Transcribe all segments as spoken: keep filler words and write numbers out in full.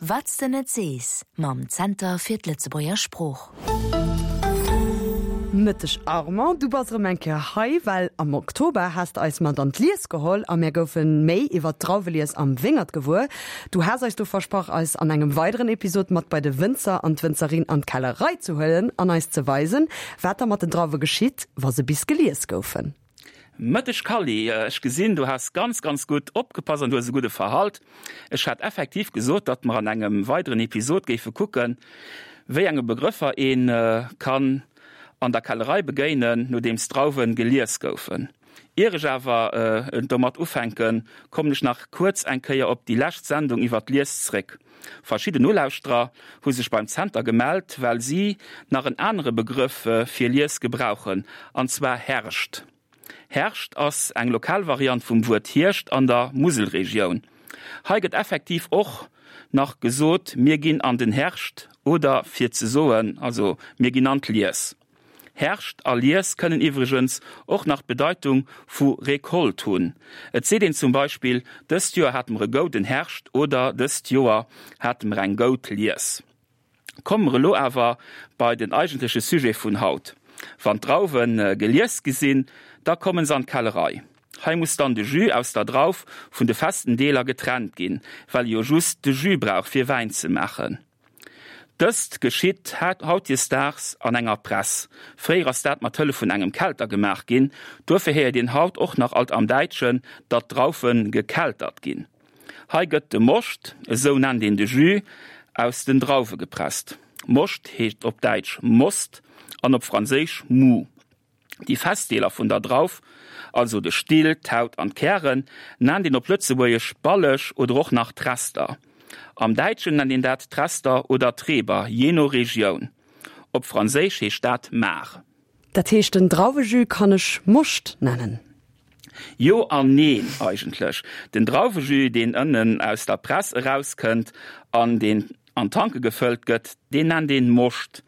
Wat s de net sees mam Zenter fir d'Lëtzebuerger Sprooch. Mëtteg Armand, du bass erëm eng Kéier hei, well am Oktober has de eis mat an d'Lies geholl a mär goufe méi iwwer d'Drauwelies am Wéngert gewuer. Du has eis do versprach, eis an engem weideren Episod mat bei de Wënzer an d'Wënzerin an d'Kellerei ze huelen an eis ze weisen, wat da mat den Drauwe geschitt, wa se bis gelies goufen. Mëtteg Kally, ech gesinn du has ganz ganz gutt opgepasst an du hues e gudde Verhalt. Ech hat effektiv gesot, datt mer an engem weideren Episod géife kucken, wéi enge Begrëffer een kann an der Kellerei begéinen, nodeems d'Drauwen gelies goufen. Ier ech awer domat ufänken, kommen ech nach kuerz eng Kéier op déi lescht Sendung iwwer d'Lies zréck. Verschidden Nolauschterer hu sech beim Zenter gemellt, well si nach en anere Begrëff fir Lies gebrauchen, an zwar Herscht. Herscht ass eng lokal Variant vum Wuert Hierscht an der Muselregioun. Hei gëtt effektiv och nach gesot, mir ginn an den Herscht oder fir ze soen, also mir ginn an d'Lies. Herscht a Lies kënnen iwwregens och nach d'Bedeitung vu Récolte hunn. Et seet een zum Beispill, dëst Joer hate mer e gouden Herscht oder dëst Joer hate mer eng goud Lies. Komme mer elo awer bei den eigentleche Sujet vun haut. Wann d'Drauwe gelies gi sinn, da kommen se an d'Kellerei. Hei muss dann de Jus aus der Drauf vun de festen Deeler getrennt ginn, well ee jo just de Jus brauch fir Wäin ze maachen. Dëst geschitt hautdesdaags an enger Press. Fréier ass dat mat Hëllef vun engem Kelter gemaach ginn. Duerfir héiert een haut och nach alt am Däitschen, datt d'Draufe gekeltert ginn. Hei gëtt de Moscht, esou nennt een de Jus, aus den Drauwe gepresst. Moscht heescht op Däitsch Most an op Franséisch Mou. Déi fest Deeler vun der Drauf, also de Still, d'Haut an d'Kären, nennt een op Lëtzebuergesch Balleg oder och nach Trester. Am Däitschen nennt een dat Trester oder Treber, jee no Regioun. Op Franséisch heescht dat Marc. Dat heescht, den Drauwejus kann ech Moscht nennen? Jo an neen eigentlech. Den Drauwejus, deen ënnen aus der Press erauskënnt an deen an Tanke gefëllt gëtt, deen nennt een Moscht.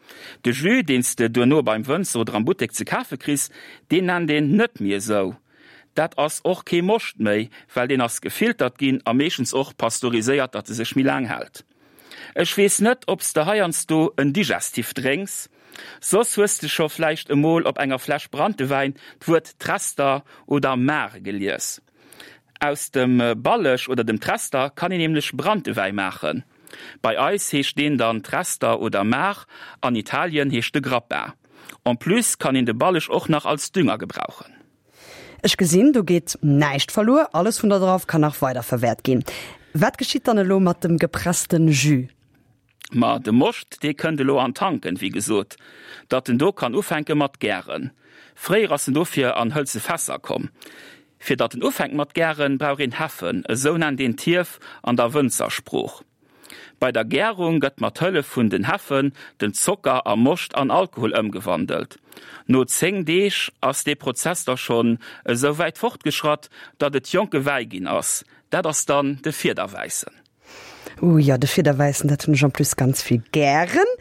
De Jus, deen s de duerno beim Wënzer oder am Buttek ze kafe kriss, deen nennt een net méi esou. Dat ass och kee Moscht méi, well deen ass gefiltert ginn a meeschtens och pasteuriséiert, datt e sech méi laang hält. Ech weess net, ob s de heiansdo en Digestif drénks, soss hues de scho vläicht emol op enger Fläsch Branntewäin d'Wuert Trester oder Mare gelies. Aus dem Balleg oder dem Trester kann een nämlech Branntewäi maachen. Bei eis heescht deen dann Trester oder Mar, an Italien heescht e Grappa. En plus kann een de Balleg och nach als Dünger gebrauchen. Ech gesinn, do geet näischt verluer, alles vun der Drauf kann nach weiderverwäert ginn. Wat geschitt dann elo mat dem gepressten Jus? Ma de Moscht, dee kënnt elo an d'Tanken, wéi gesot, datt en do kann ufänke mat gären. Fréier ass en dofir an hëlze Fässer komm. Fir datt en ufänkt mat gären, brauch een Heffen, esou nennt een d'Hief an der Wënzersprooch. Bei der Gärung gëtt mat Hëllef vun den Heffen den Zocker a Moscht an Alkohol ëmgewandelt. No zéng Deeg ass dee Prozess da schonn esou wäit fortgeschratt, datt et jonke Wäi ginn ass. Dat ass dann de Fiederwäissen. Ooh jo, de Fiederwäissen, dat hunn ech en plus ganz vill gären.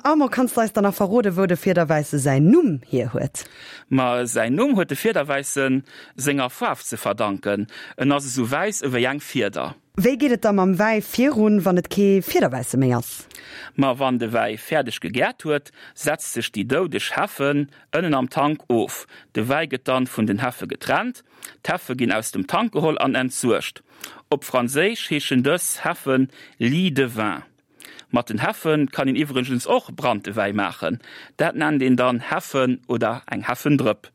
Armand, kanns de eis dann nach verroden, wou de Fiederwäisse säin Numm hier huet? Ma säin Numm huet de Fiederwäissen senger Faarf ze verdanken, en ass esou wäiss ewéi eng Fieder. Wéi geet et da mam Wäi virun, wann et kee Fiederwäisse méi ass? Ma wann de Wäi fäerdeg gegäert huet, setzt sech déi doudeg Heffen ënnen am Tank of. De Wäi gëtt dann vun den Heffe getrennt. D'Heffe ginn aus dem Tank geholl an entsuergt. Op Franséisch heeschen dës Heffen Lie de vin. Mat den Heffen kann een iwwregens och Branntewäi maachen. Dat nennt een dann Heffen oder eng Heffendrëpp.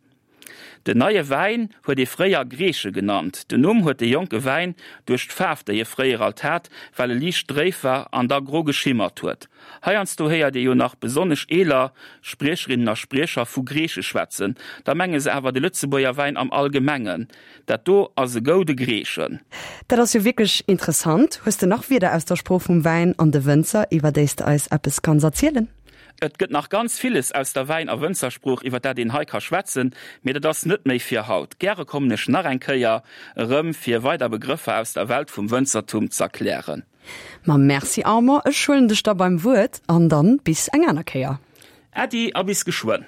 Den neie Wäin huet ee fréier Greeche genannt. Den Numm huet de jonke Wäin duerch d'Faarf, déi e fréier alt hat, well e liicht dréif war an da gro geschimmert huet. Heiansdo héiert ee jo nach besonnesch eeler Spriecherinnen a Spriecher vu Greeche schwätzen, da menge se awer de Lëtzebuerger Wäin am Allgemengen. Dat do ass e goude Greechen. Dat ass jo wierklech interessant. Hues de nach Wierder aus der Sprooch vum Wäin an de Wënzer, iwwer déi s de eis eppes kanns erzielen? Et gëtt nach ganz villes aus der Wäin a Wënzersprooch, iwwer dat een hei ka schwätzen, mee dat ass net méi fir haut. Gäre kommen ech nach eng Kéier erëm, fir weider Begrëffer aus der Welt vum Wënzertum z'erklären. Ma merci Armand, ech huelen dech da beim Wuert an dann bis eng aner Kéier. Äddi a bis geschwënn.